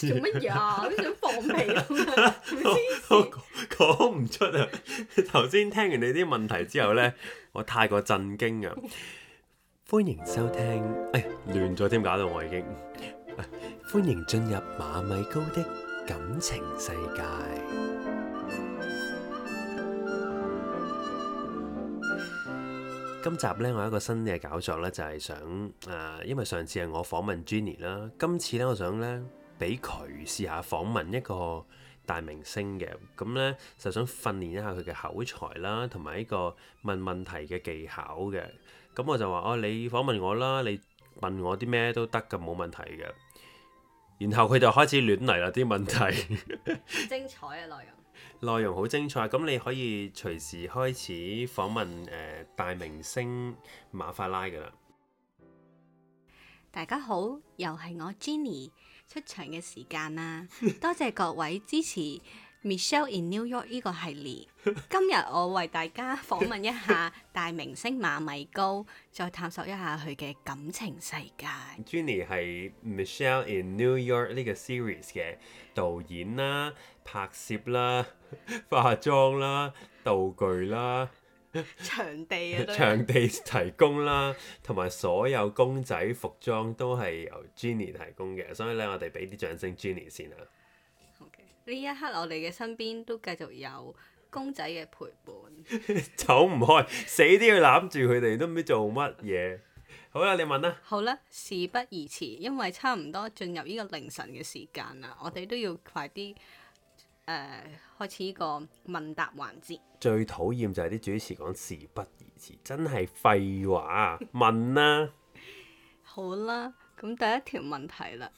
做乜嘢啊？好想放屁咁啊！我講唔出啊！頭先聽完你啲問題之後呢，我太過震驚啊！歡迎收聽，亂咗添，搞到我已經。歡迎進入馬米高的感情世界。今集呢，我有一個新嘅搞作呢，就係想因為上次係我訪問 Jenny 啦，今次呢，我想呢，俾佢試下訪問一個大明星嘅，咁呢，就想訓練一下佢嘅口才啦，同埋呢個問問題嘅技巧嘅。咁我就話你訪問我啦，你問我啲咩都得㗎，冇問題嘅。然後佢就開始亂嚟啦啲問題，精彩嘅內容。內容好精彩，咁你可以隨時開始訪問大明星馬法拉㗎啦。大家好，又係我 Jenny 出場嘅時間啦，多謝各位支持 Michelle in New York 呢個系列。今日我為大家訪問一下大明星馬米高，再探索一下佢嘅感情世界。Jenny 係 Michelle in New York 呢個 series 嘅導演啦、拍攝啦、化妝啦、道具啦、場地啊，場地提供啦，同埋所有公仔服裝都係由 Jenny 提供嘅，所以咧我哋俾啲掌聲 Jenny 先啦。呢一刻我哋嘅身邊都繼續有公仔嘅陪伴，走唔開，死都要攬住佢哋，都唔知做乜嘢。好啦，你問啦。好啦，事不宜遲，因為差唔多進入呢個凌晨嘅時間啦，我哋都要快啲開始呢個問答環節。最討厭就係啲主持講事不宜遲，真係廢話啊！問啦。好啦，咁第一條問題啦，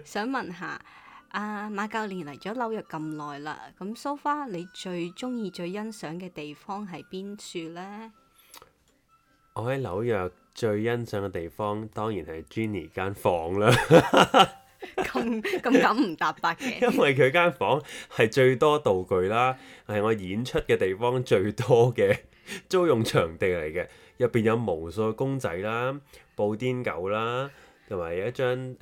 想問下馬教練嚟咗紐約咁耐啦，咁 so far 你最中意、最欣賞嘅地方係邊處呢？我喺紐約最欣賞嘅地方，當然係 Jenny 間房啦。咁敢唔搭八嘅？因為佢間房係最多道具啦，係我演出嘅地方最多嘅租用場地嚟嘅。入邊有無數公仔啦、布甸狗啦，同埋有一張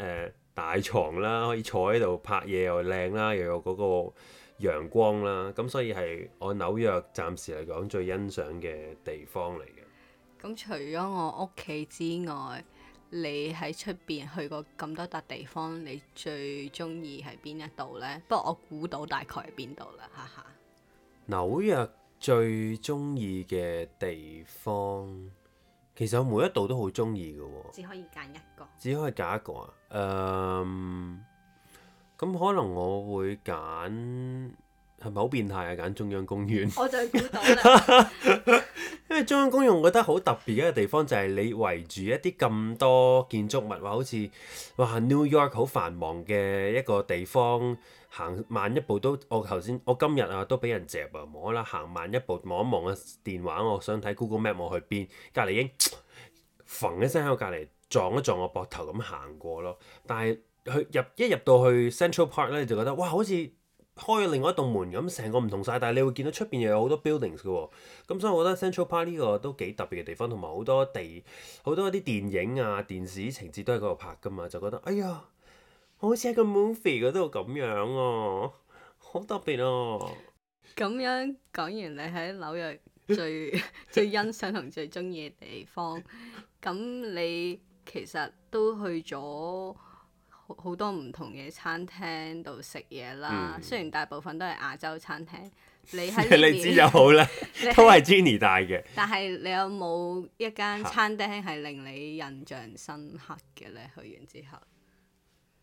大床啦，可以坐喺度拍嘢又靚啦，又有嗰個陽光啦，咁所以係我紐約暫時嚟講最欣賞嘅地方嚟嘅。咁除咗我屋企之外，你喺出邊去過咁多笪地方，你最中意係邊一度呢？不過我估到大概係邊度啦，哈哈。紐約最中意嘅地方，其實我每一度都好中意嘅喎。只可以揀一個。只可以揀一個啊？咁可能我會揀，係咪好變態啊？揀中央公園。我就估到啦。因為中央公園我覺得好特別嘅一個地方就係你圍住一啲咁多建築物，話好似New York 好繁忙嘅一個地方，行慢一步都，我今日都俾人夾啊！冇啦，行慢一步望一望個電話，我想睇 Google Map 我去邊，隔離已經揈一聲喺我隔離撞一撞我膊頭咁行過咯。但係一入到去 Central Park 咧，就覺得哇，好似〜開咗另外一棟門咁，成個唔同晒，但係你會見到出邊又有好多 buildings 嘅喎，咁所以我覺得 Central Park 呢個都幾特別嘅地方，同埋好多啲電影啊、電視情節都喺嗰度拍噶嘛，就覺得哎呀，好似喺個 movie 嗰度咁樣啊，好特別啊！咁樣講完你喺紐約最欣賞同最中意嘅地方，咁你其實都去咗好多唔同嘅餐廳度食嘢啦，雖然大部分都係亞洲餐廳。你喺呢邊你知就好啦，都係 Jenny 帶嘅。但係你有冇一間餐廳係令你印象深刻嘅呢？去完之後，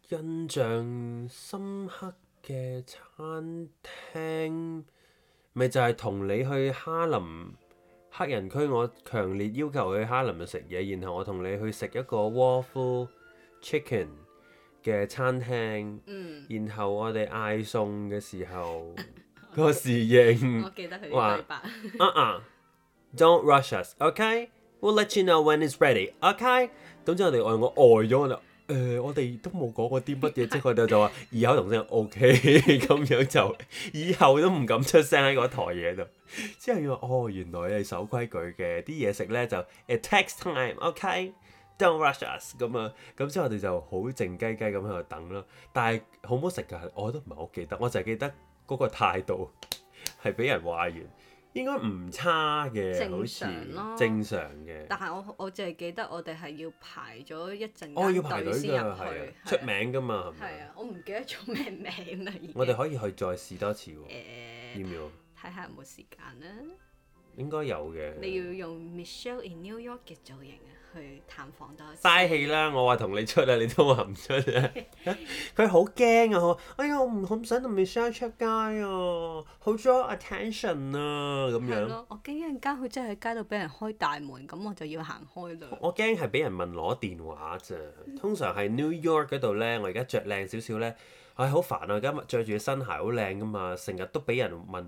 印象深刻嘅餐廳，咪就係同你去哈林黑人區，我強烈要求去哈林度食嘢，然後我同你去食一個 waffle chicken嘅餐廳，然後我哋嗌餸嘅時候，個侍應我記得佢啲對白。Don't rush us, OK? We'll let you know when it's ready, OK? 咁之後我呆咗，我哋都冇講過啲乜嘢，即係佢哋就話異口同聲 OK， 咁樣就以後都唔敢出聲喺嗰台嘢度。之後原來你係守規矩嘅，啲嘢食咧就 it takes time, OK? Don't rush us 咁啊，咁之後我哋就好靜雞雞咁喺度等啦。但係好唔好食㗎？我都唔係好記得，我就係記得嗰個態度係俾人話完，應該唔差嘅，好似正常咯正常嘅。但係我淨係記得我哋係要排咗一陣哦，要間排隊隊先㗎，入去，係啊，係出名㗎嘛，係咪？係啊，我唔記得咗咩名啦已經。我哋可以去再試多次喎，要誒唔要？睇下有冇時間啦。應該有嘅。你要用 Michelle in New York 嘅造型啊，去探訪多一次。嘥氣啦！我話同你出啊，你都話唔出啊！佢好驚啊！哎呀，我唔想同 Michelle 出街啊，好 draw attention 啊咁樣。係咯，我驚一陣間佢真係喺街度俾人開大門，咁我就要行開啦。我驚係俾人問攞電話咋。通常係 New York 嗰度呢，我而家着靚少少呢，唉好煩啊！今日着住嘅新鞋好靚噶嘛，成日都俾人問。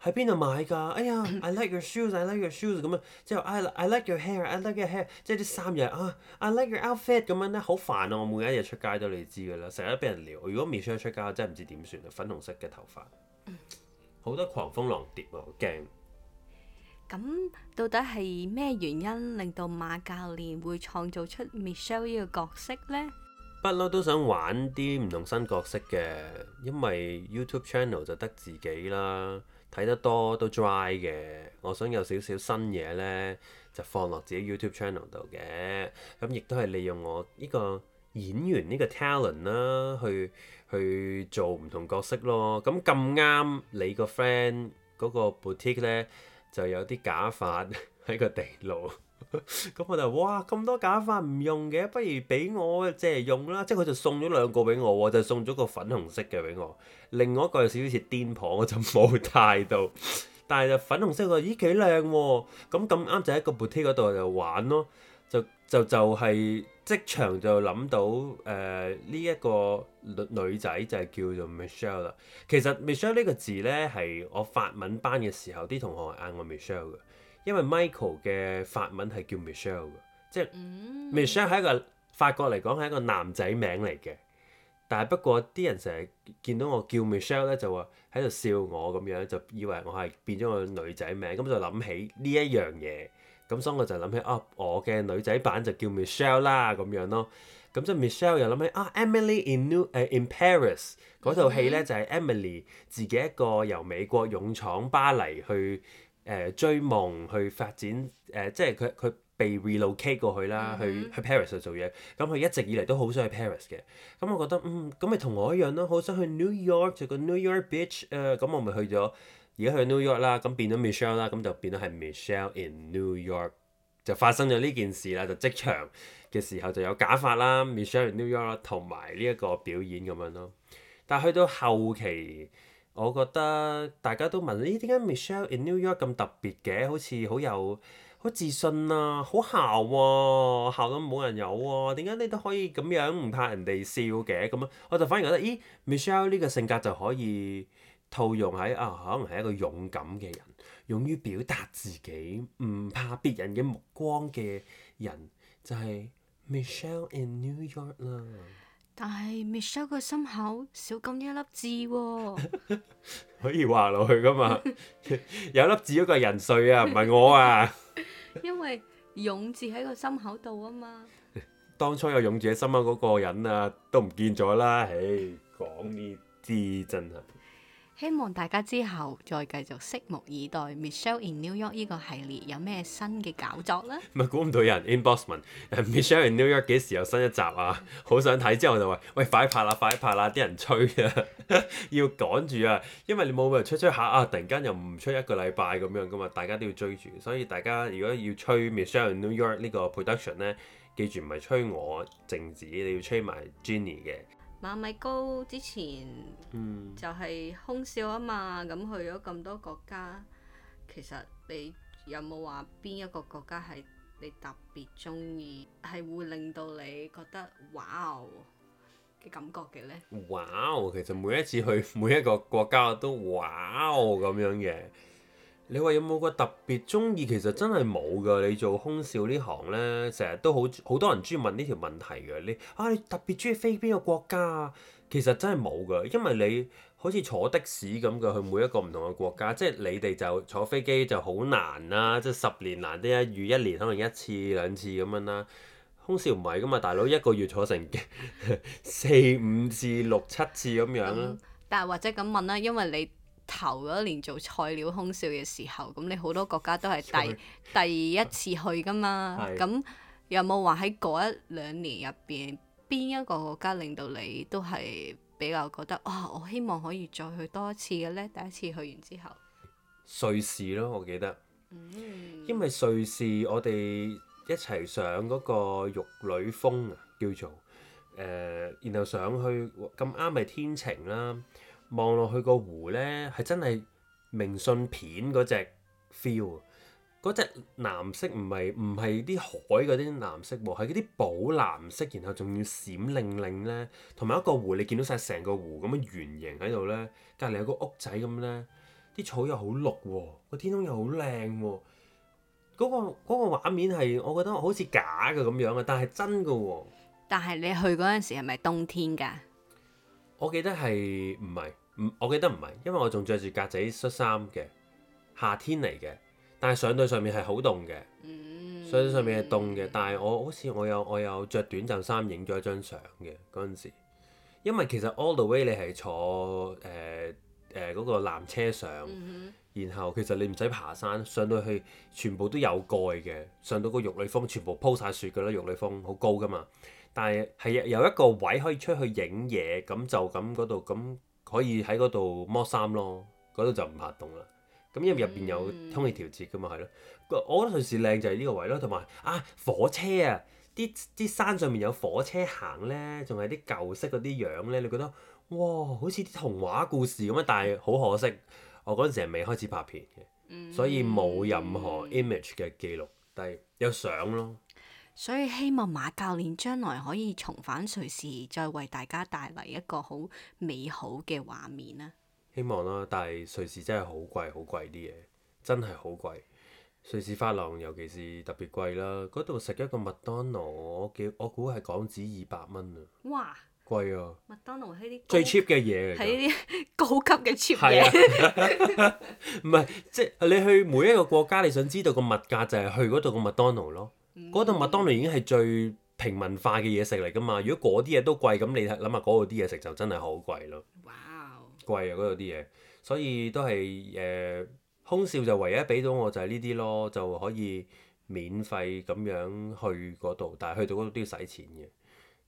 喺邊度買㗎？哎呀，I like your shoes，I like your shoes 咁樣，之後 I like your hair，I like your hair，即係啲衫嘢啊，I like your outfit 咁樣咧，好煩啊！我每一日出街都你知㗎啦，成日都俾人撩。如果 Michelle 出街，我真係唔知點算啊！粉紅色嘅頭髮，好多狂蜂浪蝶啊，好驚。咁到底係咩原因令到馬教練會創造出 Michelle 呢個角色呢？不嬲都想玩啲唔同新角色嘅，因為 YouTube channel 就得自己啦。睇得多都 dry 嘅，我想有少少新嘢呢，就放落自己 YouTube channel 度嘅。咁亦都係利用我呢個演員呢個 talent 啦，去做唔同角色咯。咁咁啱你個 friend 嗰個 boutique 呢，就有啲假髮喺個地牢。咁我就哇咁多假髮唔用嘅，不如俾我借嚟用啦。即係佢就送咗兩個俾我，就送咗個粉紅色嘅俾我，另外一個有少少似癲婆，我就冇帶到。但係就粉紅色個，咦幾靚喎！咁啱就喺個 boutique 嗰度就玩咯，就係即場就諗到呢一個女仔就係叫做 Michelle 啦。其實 Michelle 呢個字呢，係我法文班嘅時候啲同學係嗌我 Michelle 嘅。因為 Michael 嘅法文係叫 Michelle 嘅，即係 Michelle 係一個法國嚟講係一個男仔名嚟嘅。但係不過啲人成日見到我叫 Michelle 咧，就話喺度笑我咁樣，就以為我係變咗個女仔名，咁就諗起呢一樣嘢。咁所以我就諗起我嘅女仔版就叫 Michelle 啦咁樣咯。咁即係 Michelle 又諗起Emily in Paris 嗰套戲咧，就係 Emily 自己一個由美國勇闖巴黎去。追夢去發展即係佢被 relocate 過去啦，去 Paris 度做嘢。咁佢一直以嚟都好想去 Paris 嘅。咁我覺得咁咪同我一樣咯，好想去 New York 做個 New York bitch 咁我咪去咗，而家去 New York 啦，咁變咗 Michelle 啦，咁就變咗係 Michelle in New York， 就發生咗呢件事啦。就即場嘅時候就有假髮啦，Michelle in New York 啦，同埋呢一個表演咁樣咯。但係去到後期。我覺得大家都問咦，點解 Michelle in New York 咁特別嘅？好似好自信啊，好姣喎，姣到冇人有喎。點解你都可以咁樣唔怕人哋笑嘅？咁樣我就反而覺得，咦 Michelle 呢個性格就可以套用喺可能係一個勇敢嘅人，勇於表達自己，唔怕別人嘅目光嘅人，就係 Michelle in New York 啦。但係 Michelle 個心口少咁一粒痣喎，可以畫落去噶嘛？有粒痣嗰個係人瑞啊，唔係我啊。因為勇字喺個心口度啊嘛。當初有勇字喺心口嗰個人啊，都唔見咗啦。唉，講呢啲真係。希望大家之後再繼續拭目以待 Michelle in New York 呢個系列有咩新嘅搞作啦。咪估唔到有人 inbox 問Michelle in New York 幾時有新一集啊？好想睇，之後我就話：喂，快拍啦，快拍啦！啲人催啊，要趕住啊，因為你冇理由吹下突然間又唔出一個禮拜咁樣噶嘛，大家都要追住。所以大家如果要吹 Michelle in New York 呢個 production 咧，記住唔係吹我靜子，你要吹埋 Jenny 嘅。馬米高之前就係空少啊嘛，咁去咗咁多國家，其實你有冇話邊一個國家係你特別中意，係會令到你覺得哇嘅感覺嘅呢？哇！其實每一次去每一個國家我都哇咁樣嘅。你話有冇個特別中意？其實真係冇㗎。你做空少呢行呢，成日都好多人專問呢條問題嘅。你特別中意飛邊個國家啊？其實真係冇㗎，因為你好似坐的士咁嘅去每一個唔同嘅國家，即係你哋就坐飛機就好難啦，即係10年難得一遇，1年可能1次2次咁樣啦。空少唔係噶嘛，大佬一個月坐成4、5次、6、7次咁樣啦。但係或者咁問啦，因為你頭嗰年做菜鳥空少嘅時候，咁你好多國家都係第一次去噶嘛。係咁有冇話喺嗰1、2年入邊，邊一個國家令到你都係比較覺得哇，我希望可以再去多一次嘅呢？第一次去完之後，瑞士咯，我記得，因為瑞士我哋一齊上嗰個玉女峰啊，叫做然後上去咁啱係天晴啦，望落去個湖呢，係真係明信片嗰隻 feel 啊！嗰隻藍色唔係啲海嗰啲藍色喎，係嗰啲寶藍色，然後仲要閃靈靈呢。同埋一個湖，你見到晒成個湖咁樣圓形喺度呢，隔離有個屋仔咁呢，啲草又好綠喎，個天空又好靚喎，嗰個畫面係我覺得好似假嘅咁樣啊，但係真嘅喎。但係你去嗰陣時係咪冬天㗎？我記得係唔係？我記得唔係，因為我仲着住格仔恤衫嘅，夏天嚟嘅。但係上到上面係好凍嘅，上到上面係凍嘅。但係我好似我有着短袖衫影咗一張相嘅嗰陣時，因為其實 all the way 你係坐嗰個纜車上，然後其實你唔使爬山，上到去全部都有蓋嘅，上到個玉女峰全部鋪晒雪㗎啦，玉女峰好高㗎嘛。但係有一個位可以出去影嘢，咁就咁嗰度咁可以喺嗰度剝衫咯，嗰度就唔怕凍啦。咁因為入邊有空氣調節㗎嘛，係咯。我覺得瑞士靚就係呢個位咯，同埋火車啊，啲山上面有火車行呢，仲係啲舊式嗰啲樣呢，你覺得哇，好似啲童話故事咁樣，但係好可惜，我嗰陣時係未開始拍片嘅，所以冇任何 image 嘅記錄，但係有相咯。所以希望馬教練將來可以重返瑞士，再為大家帶嚟一個好美好嘅畫面啦。希望啦，但係瑞士真係好貴，好貴啲嘢，真係好貴。瑞士法郎尤其是特別貴啦，嗰度食一個麥當勞，我估係港紙200蚊啊！哇，貴啊！麥當勞係啲最 cheap 嘅嘢嚟㗎，係呢啲高級嘅 cheap 係嘢。啊，唔係即係你去每一個國家，你想知道個物價就係去嗰度個麥當勞咯。嗰度麥當勞已經係最平民化嘅嘢食嚟㗎嘛。如果嗰啲嘢都貴，咁你諗下嗰度啲嘢食就真係好貴咯。哇！貴啊！嗰度啲嘢，所以都係空少就唯一俾到我就係呢啲咯，就可以免費咁樣去嗰度，但係去到嗰度都要使錢嘅，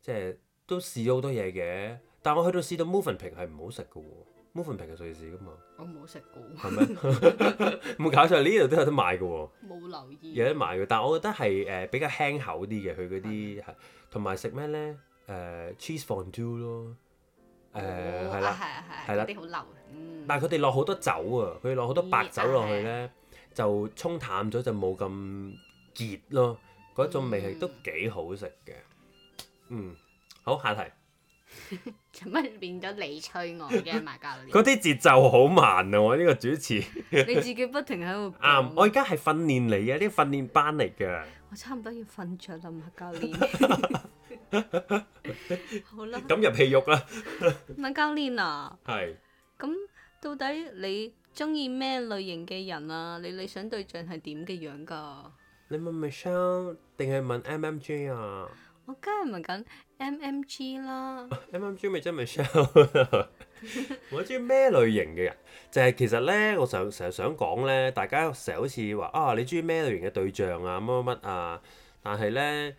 即係都試咗好多嘢嘅。但係我去到試到 Mövenpick 係唔好食嘅喎，Mövenpick 係瑞士㗎嘛。我冇食過。係咩？冇搞錯，呢度都有得賣嘅喎。冇留意。有得賣嘅，但係我覺得係比較輕口啲嘅，佢嗰啲係同埋食咩咧？cheese fondue 咯。係啦，係啦，啲好流。但係佢哋落好多酒啊，佢哋落好多白酒落去呢，就沖淡咗就冇咁結咯，嗰種味係都幾好食嘅。好，下題。做乜變咗你催我嘅馬教練？嗰啲節奏好慢啊！我呢個主持。你自己不停喺度。啱，我而家係訓練嚟嘅，呢個訓練班嚟㗎。我差唔多要瞓着啦，馬教練。好啦。咁入戲肉啦。馬教練啊。係。咁到底你中意咩類型嘅人啊？你理想對象係點嘅樣㗎？你問 Michelle 定係問 MMJ 啊？我梗係問緊 MMG 啦。MMG 咪真 Michelle。我中意咩類型嘅人？就係其實咧，我成日想講咧，大家成日好似話你中意咩類型嘅對象啊，乜乜乜啊，但係咧，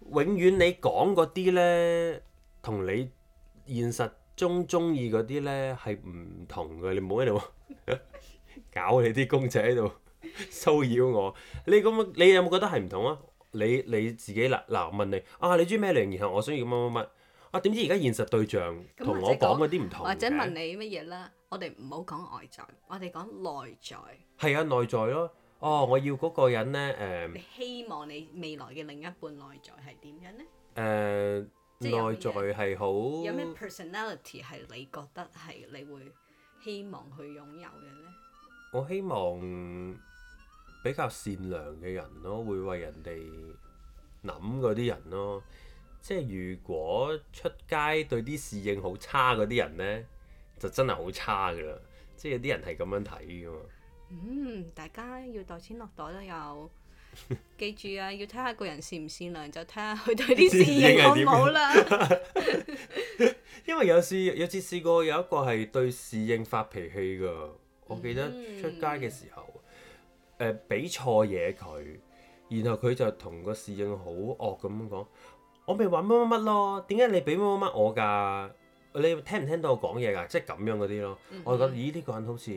永遠你講嗰啲咧，同你現實中意嗰啲咧係唔同嘅。你唔好喺度搞你啲公仔喺度騷擾我。你有冇覺得係唔同啊？你自己嗱問你你中意咩類型？然後我想要乜乜乜點知而家現實對象同我講嗰啲唔同嘅。或者問你乜嘢啦？我哋唔好講外在，我哋講內在。係啊，內在咯。我要嗰個人咧你希望你未來嘅另一半內在係點樣呢？內在係好。有咩 personality 係你覺得係你會希望去擁有嘅呢？我希望比較善良嘅人咯，會為人哋諗嗰啲人咯。即係如果出街對啲侍應好差嗰啲人呢，就真係好差噶啦。即係有啲人係咁樣睇噶嘛。大家要袋錢落袋都有。記住啊，要睇下個人善唔善良，就睇下佢對啲侍應好唔好啦。因為有次試過有一個係對侍應發脾氣㗎，我記得出街嘅時候，俾錯嘢佢，然後佢就同個侍應好惡咁樣講：我咪話乜乜乜咯，點解你俾乜乜乜我㗎？你聽唔聽到我講嘢㗎？即係咁樣嗰啲咯。我就覺得咦呢個人好似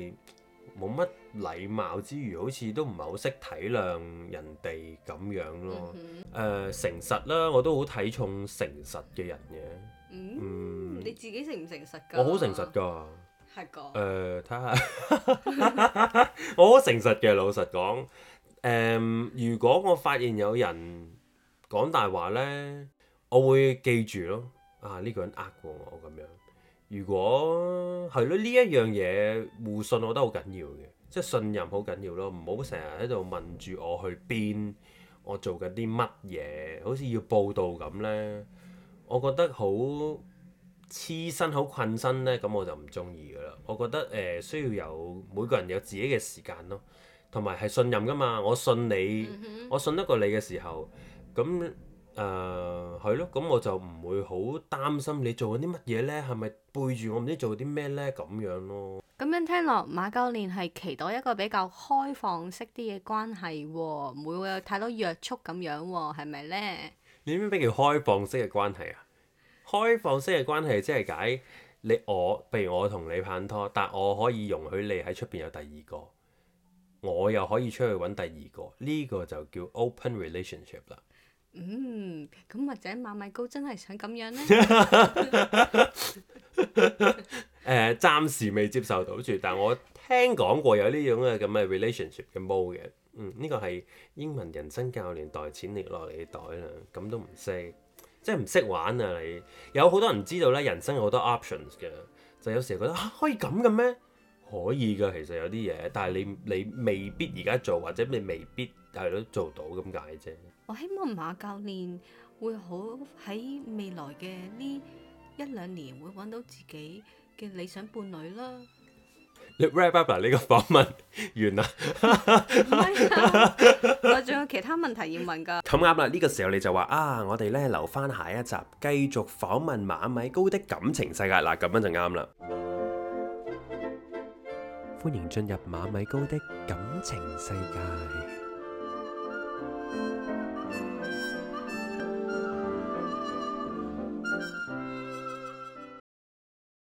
冇乜禮貌之餘，好似都唔係好識體諒人哋咁樣咯。誠實啦，我都好睇重誠實嘅人嘅。你自己誠唔誠實㗎？我好誠實㗎。係個。睇下，我好誠實嘅，老實講。如果我發現有人講大話呢，我會記住咯。呢個人呃過我咁樣。如果係咯，呢一樣嘢互信，我覺得好緊要嘅，即係信任好緊要咯。唔好成日喺度問住我去邊，我做緊啲乜嘢，好似要報道咁呢。我覺得好黐身、好困身呢，咁我就唔中意噶啦。我覺得需要有每個人有自己嘅時間咯，同埋係信任噶嘛。我信你，我信得過你嘅時候，咁。係咯，咁我就唔會好擔心你做緊啲乜嘢呢？係咪背住我唔知做啲咩呢？咁樣咯。咁樣聽落，馬教練係期待一個比較開放式啲嘅關係喎，唔會有太多約束咁樣喎，係咪呢？你知唔知咩叫開放式嘅關係啊？開放式嘅關係即係解譬如我同你拍拖，但我可以容許你喺出邊有第二個，我又可以出去揾第二個，呢個就叫 open relationship 啦。咁或者馬米高真係想咁樣呢？暫時未接受到住，但我聽講過有呢種咁嘅 relationship 嘅 mode 嘅。呢個係英文人生教練袋錢落嚟嘅袋啦，咁都唔識，即係唔識玩啊！你有好多人知道咧，人生有好多 options 嘅，就有時覺得可以咁嘅咩？可以㗎，其實有啲嘢，但係你未必而家做，或者你未必係都做到咁解啫。我希望馬教練會好喺未來嘅呢1-2年會揾到自己嘅理想伴侶啦。你 wrap up 呢個訪問完啦？唔係啊，我仲有其他問題要問㗎。咁啱啦，呢個時候你就話我哋咧留翻下一集繼續訪問馬米高的感情世界嗱，咁樣就啱啦。歡迎進入馬米高的感情世界。